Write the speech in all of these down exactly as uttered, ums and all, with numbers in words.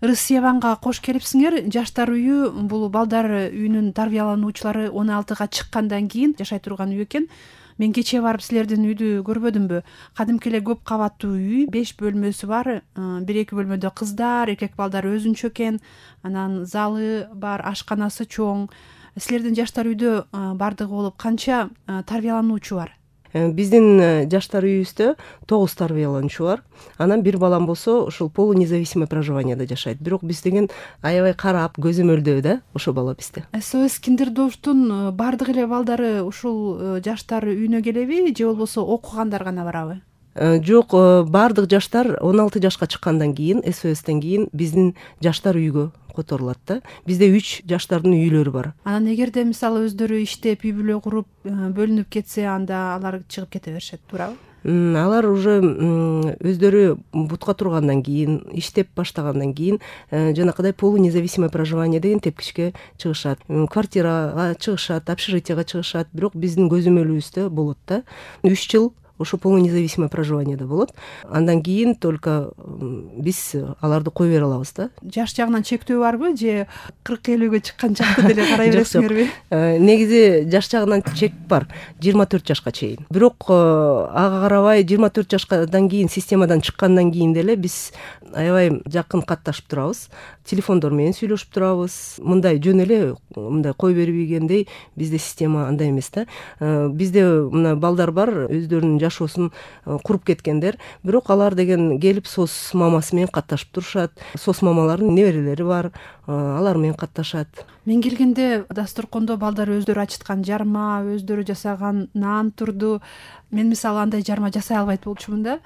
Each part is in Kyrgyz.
Рысьеванга кош келипсиңер. Жаштар үйү бул балдар үйүнүн тарбиялануучулары он алтыга чыккандан кийин жашай турган үй экен. Мен кечээ барып силердин үйдү көрбөдүмбү? Кадимки эле көп кабаттуу үй, беш бөлмөсү бар. Бир эки бөлмөдө кыздар, эркек балдар өзүнчө экен. Анан залы бар, ашканасы чоң. Силердин жаштар үйдө бардыгы болуп канча тарбиялануучу бар? Биздин жаштар үйүбүздө тогуз тарбиялануучу бар. Анан бир балам болсо ушул полунезависимое проживаниеде жашайт. Бирок биз деген аябай карап, көзөмөлдөө да ошо бала бизде. СОС Киндердорфтун бардык эле балдары ушул жаштар үйүнө келеби же болбосо окугандар гана барабы? Жок, бардык жаштар он алты жашка чыккандан кийин, СОСтен кийин биздин жаштар үйгө которулат да. Бизде үч жаштардын үйлөрү бар. Анан эгерде мисалы өздөрү иштеп, үй бүлө куруп, бөлүнүп кетсе, анда алар чыгып кете беришет, туурабы? Алар уже өздөрү бутка тургандан кийин, иштеп баштагандан кийин жанакыдай полунезависимое проживание деген тепкичке чыгышат. Квартирага чыгышат, общежитияга чыгышат. Бирок биздин көзөмөлүбүздө болот да. үч жыл ошо полунезависимое проживаниеде болот. Андан кийин только биз аларды кое бере алабыз да. Жаш жагынан чектөө барбы же кырк элүүгө чыккан чакта деле карай бересиңерби? Негизи жаш жагынан чек бар, жыйырма төрт жашка чейин. Бирок ага карабай жыйырма төрт жашкадан кийин, системадан чыккандан кийин деле биз аябай жакын катташып турабыз. Телефондор менен сүйлөшүп турабыз. Мындай жөн эле мындай кой бербегендей бизде система андай эмес да. Бизде мына балдар бар, өздөрүнүн жашоосун куруп кеткендер. Бирок алар деген келип сос мамасы менен катташып турушат. Сос мамалардын неберелери бар, алар менен катташат. Мен келгенде дасторкондо балдар өздөрү ачыткан жарма, өздөрү жасаган нан турду. Мен мисалы андай жарма жасай албайт болчумун да.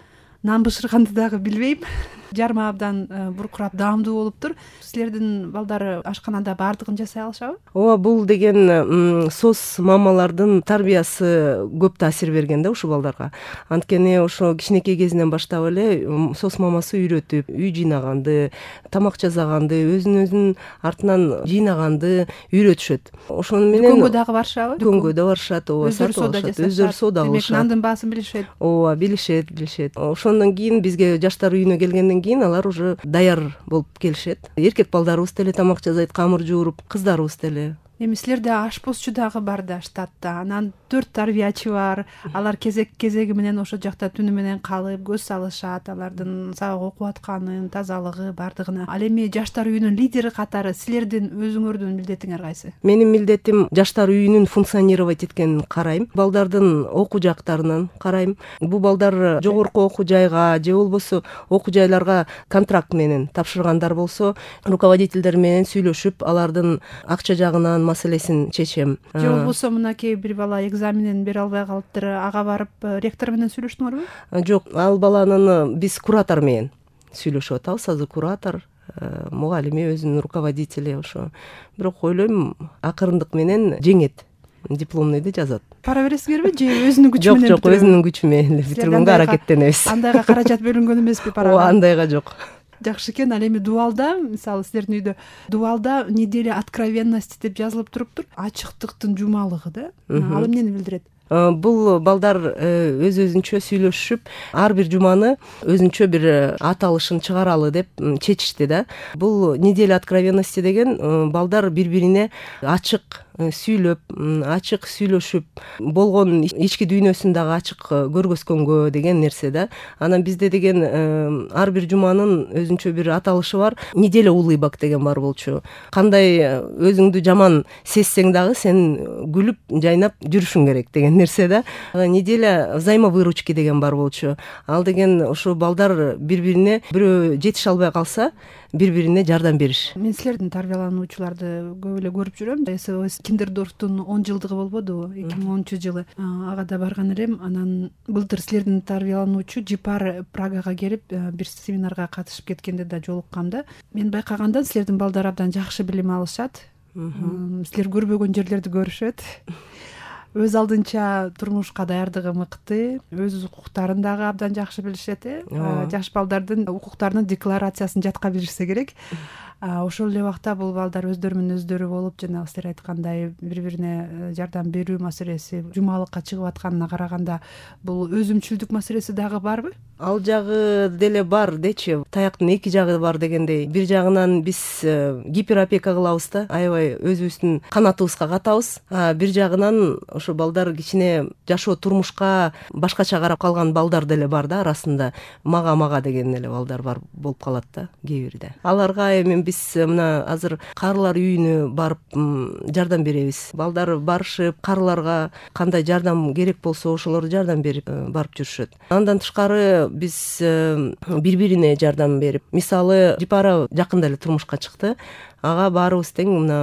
Нан бышырганды дагы билбейм. Жарма абдан буркурап, даамдуу болуптур. Силердин балдары ашканада бардыгын жасай алышабы? Ооба, бул деген сос мамалардын тарбиясы көп таасир берген да ушул балдарга. Анткени ошо кичинекей кезинен баштап эле сос мамасы үйрөтүп, үй жыйнаганды, тамак жасаганды, өзүн-өзүн артынан жыйнаганды үйрөтүшөт. Ошону менен дүкөнгө дагы барышабы? Дүкөнгө да барышат, ооба, сатып алышат. Өздөрү соода кылышат. Демек, нандын баасын билишет. Ооба, билишет, билишет. Ошондон кийин бизге жаштар үйүнө келгенден кийин алар уже даяр болуп келишет. Эркек балдарыбыз деле тамак жасайт, камыр жууруп, кыздарыбыз деле. Эми силерде ашпозчу дагы бар да штатта. Анан төрт тарбиячы бар. Алар кезек кезеги менен ошо жакта түнү менен калып, көз салышат, алардын сабак окуп атканын, тазалыгы бардыгына. Ал эми жаштар үйүнүн лидери катары силердин өзүңөрдүн милдетиңер кайсы? Менин милдетим жаштар үйүнүн функционировать эткенин карайм. Балдардын окуу жактарынан карайм. Бул балдар жогорку окуу жайга же болбосо окуу жайларга контракт менен тапшыргандар болсо, руководителдер менен сүйлөшүп, алардын акча жагынан маселесин чечем. Же болбосо мынакей бир бала экзаменин бере албай калыптыр, ага барып ректор менен сүйлөштүңөрбү? Жок, ал баланын биз куратор менен сүйлөшүп атабыз. Азыр куратор, мугалими, өзүнүн руководители ошо. Бирок ойлойм, акырындык менен жеңет. Дипломныйды жазат. Пара бересиңерби же өзүнүн күчү менен? Жок, жок, өзүнүн күчү менен битиргенге аракеттенебиз. Андайга каражат бөлүнгөн эмеспи парага? Ооба, андайга жок. Жакшы экен. Ал эми дубалда, мисалы силердин үйдө дубалда неделя откровенности деп жазылып туруптур. Ачыктыктын жумалыгы да. Ал эмнени билдирет? Бул балдар өз өзүнчө сүйлөшүп, ар бир жуманы өзүнчө бир аталышын чыгаралы деп чечишти да. Бул неделя откровенности деген балдар бири-бирине ачык сүйлөп, ачык сүйлөшүп, болгон ички дүйнөсүн дагы ачык көргөзгөнгө деген нерсе да. Анан бизде деген ар бир жуманын өзүнчө бир аталышы бар. Неделя улыбок деген бар болчу. Кандай өзүңдү жаман сезсең дагы сен күлүп, жайнап жүрүшүң керек деген нерсе да. Неделя взаимовыручки деген бар болчу. Ал деген ошо балдар бири-бирине бирөө жетише албай калса, бири-бирине жардам бериш. Мен силердин тарбиялануучуларды көп эле көрүп жүрөм. СОС Киндердорфтун он жылдыгы болбодубу? эки миң онунчу жылы. Ага да барган элем. Анан былтыр силердин тарбиялануучу Жипар Прагага келип, бир семинарга катышып кеткенде да жолуккам да. Мен байкаганда силердин балдар абдан жакшы билим алышат. Силер көрбөгөн жерлерди көрүшөт. Өз алдынча турмушка даярдыгы мыкты, өз укуктарын дагы абдан жакшы билишет. Жаш балдардын укуктарынын декларациясын жатка билишсе керек. Ошол эле убакта бул балдар өздөрү менен өздөрү болуп, жана силер айткандай бири-бирине жардам берүү маселеси, жумалыкка чыгып атканына караганда бул өзүмчүлдүк маселеси дагы барбы? ал жагы деле бар дечи, таяктын эки жагы бар дегендей. Бир жагынан биз гиперопека кылабыз да, аябай өзүбүздүн канатыбызга катабыз. А бир жагынан ошо балдар кичине жашоо турмушка башкача карап калган балдар деле бар да арасында. Мага мага деген эле балдар бар болуп калат да кээ бирде. Аларга эми биз мына азыр карылар үйүнө барып жардам беребиз. Балдар барышып, карыларга кандай жардам керек болсо ошолорду жардам берип барып жүрүшөт. Андан тышкары биз бири-бирине жардам берип, мисалы Жипара жакында эле турмушка чыкты. Ага баарыбыз тең мына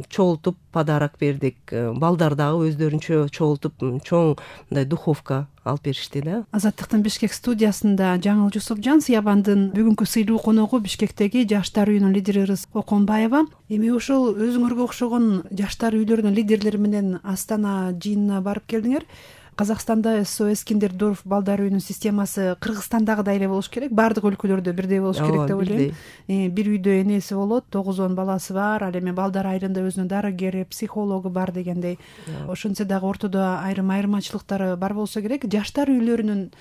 чогултуп подарок бердик. Балдар дагы өздөрүнчө чогултуп чоң мындай духовка алып беришти да. Азаттыктын Бишкек студиясында Жаңыл Жусупжан, Сыябандын бүгүнкү сыйлуу коногу Бишкектеги жаштар үйүнүн лидери Ырыс Коконбаева. Эми ошол өзүңөргө окшогон жаштар үйлөрүнүн лидерлери менен Астана жыйынына барып келдиңер. Казакстанда эс о эс Киндердорф балдар үйүнүн системасы Кыргызстандагыдай эле болуш керек. Баардык өлкөлөрдө бирдей болуш керек деп ойлойм. Бир үйдө энеси болот, тогуз он баласы бар. Ал эми балдар айрымда өзүнүн дарыгери, психологу бар дегендей. Ошентсе дагы ортодо айрым айырмачылыктары бар болсо керек. Жаштар үйлөрүнүн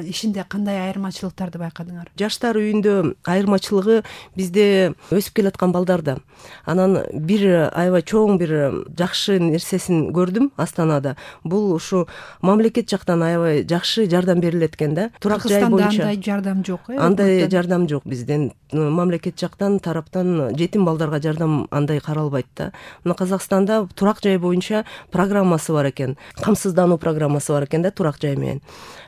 ишинде кандай айырмачылыктарды байкадыңар? Жаштар үйүндө айырмачылыгы бизде өсүп келаткан балдарда. Анан бир аябай чоң бир жакшы нерсесин көрдүм Астанада. Бул ушу мамлекет жактан аябай жакшы жардам берилет экен да. Турак жай боюнча андай жардам жок, э? Андай жардам жок бизден. Мамлекет жактан тараптан жетим балдарга жардам андай каралбайт да. Мына Казакстанда турак жай боюнча программасы бар экен. Камсыздануу программасы бар экен да турак жай менен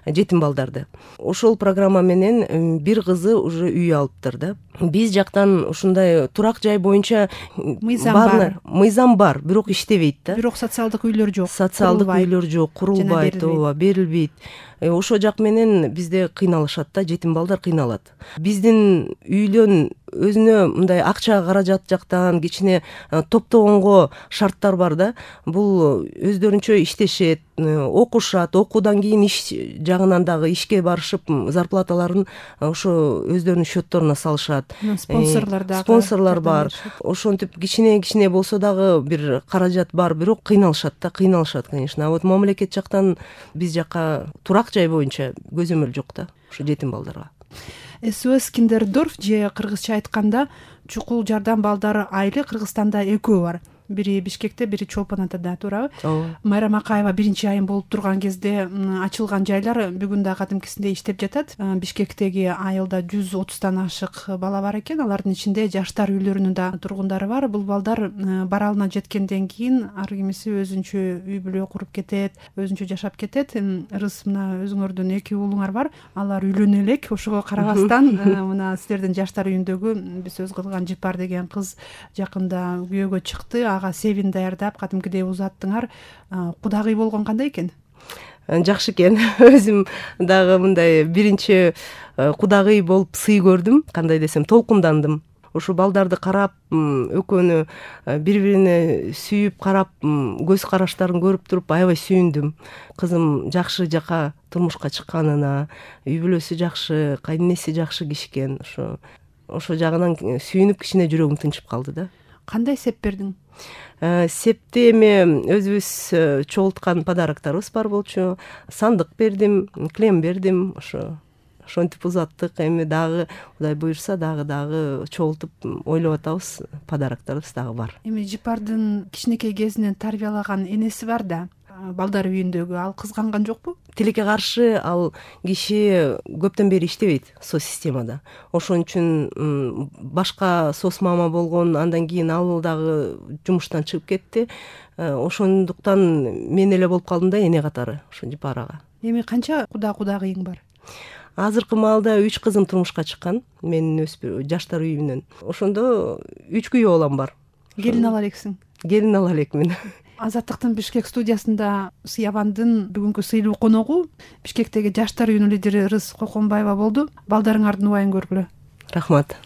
жетим балдарды. Ошол программа менен бир кызы уже үй алыптыр да. Биз жактан ушундай турак жай боюнча мыйзам бар. Мыйзам бар, бирок иштебейт да. Бирок социалдык үйлөр жок. Социалдык үйлөр жок, курулбайт, ооба, берилбейт. Ошо жак менен бизде кыйналышат да, жетим балдар кыйналат. Биздин үйлөн өзүнө мындай акча каражат жактан кичине топтогонго шарттар бар да. Бул өздөрүнчө иштешет, окушат, окуудан кийин иш жагынан дагы ишке барышып, зарплаталарын ошо өздөрүнүн счетторуна салышат. Спонсорлор дагы. Спонсорлор бар. Ошентип кичине-кичине болсо дагы бир каражат бар, бирок кыйналышат да, кыйналышат, конечно. А вот мамлекет жактан биз жакка турак жай боюнча көзөмөл жок да, ошо жетим балдарга. эс о эс Киндердорф же кыргызча айтканда чукул жардам балдары айылы Кыргызстанда экөө бар. Бири Бишкекте, бири Чолпон Атада, туурабы? Майрам Акаева биринчи айым болуп турган кезде ачылган жайлар бүгүн да кадимкисиндей иштеп жатат. Бишкектеги айылда жүз отуздан ашык бала бар экен. Алардын ичинде жаштар үйлөрүнүн да тургундары бар. Бул балдар баралына жеткенден кийин ар кимиси өзүнчө үй бүлө куруп кетет, өзүнчө жашап кетет. Ырыс, мына өзүңөрдүн эки уулуңар бар. Алар үйлөнө элек. Ошого карабастан мына силердин жаштар үйүндөгү биз сөз кылган Жипар деген кыз жакында күйөөгө чыкты. Ага севин даярдап кадимкидей узаттыңар. Кудагый болгон кандай экен? Жакшы экен. Өзүм дагы мындай биринчи кудагый болуп сый көрдүм. Кандай десем, толкундандым. Ошо балдарды карап, экөөнү бири-бирине сүйүп карап, көз караштарын көрүп туруп аябай сүйүндүм. Кызым жакшы жака турмушка чыкканына, үй бүлөсү жакшы, кайненеси жакшы киши экен. Ошо ошо жагынан сүйүнүп кичине жүрөгүм тынчып калды да. Кандай сеп бердиң? Септе эми өзүбүз чогулткан подарокторубуз бар болчу. Сандык бердим, клем бердим, ошо ошентип узаттык. Эми дагы Кудай буйрса дагы дагы чогултуп ойлоп атабыз, подарокторубуз дагы бар. Эми Жипардын кичинекей кезинен тарбиялаган энеси бар да, балдар үйүндөгү, ал кызганган жокпу? Тилекке каршы ал киши көптөн бери иштебейт со системада. Ошон үчүн башка сос мама болгон, андан кийин ал дагы жумуштан чыгып кетти. Ошондуктан мен эле болуп калдым да эне катары ошо Жипарага. Эми канча куда кудагыйың бар? Азыркы маалда үч кызым турмушка чыккан, менин өспү жаштар үйүнөн. Ошондо үч күйөө балам бар. Келин ала элексиң? Келин ала элекмин. Азаттыктын Бишкек студиясында Сыябандын бүгүнкү сыйлуу коногу Бишкектеги жаштар үйүнүн лидери Ырыс Коконбаева болду. Балдарыңардын убайын көргүлө. Рахмат.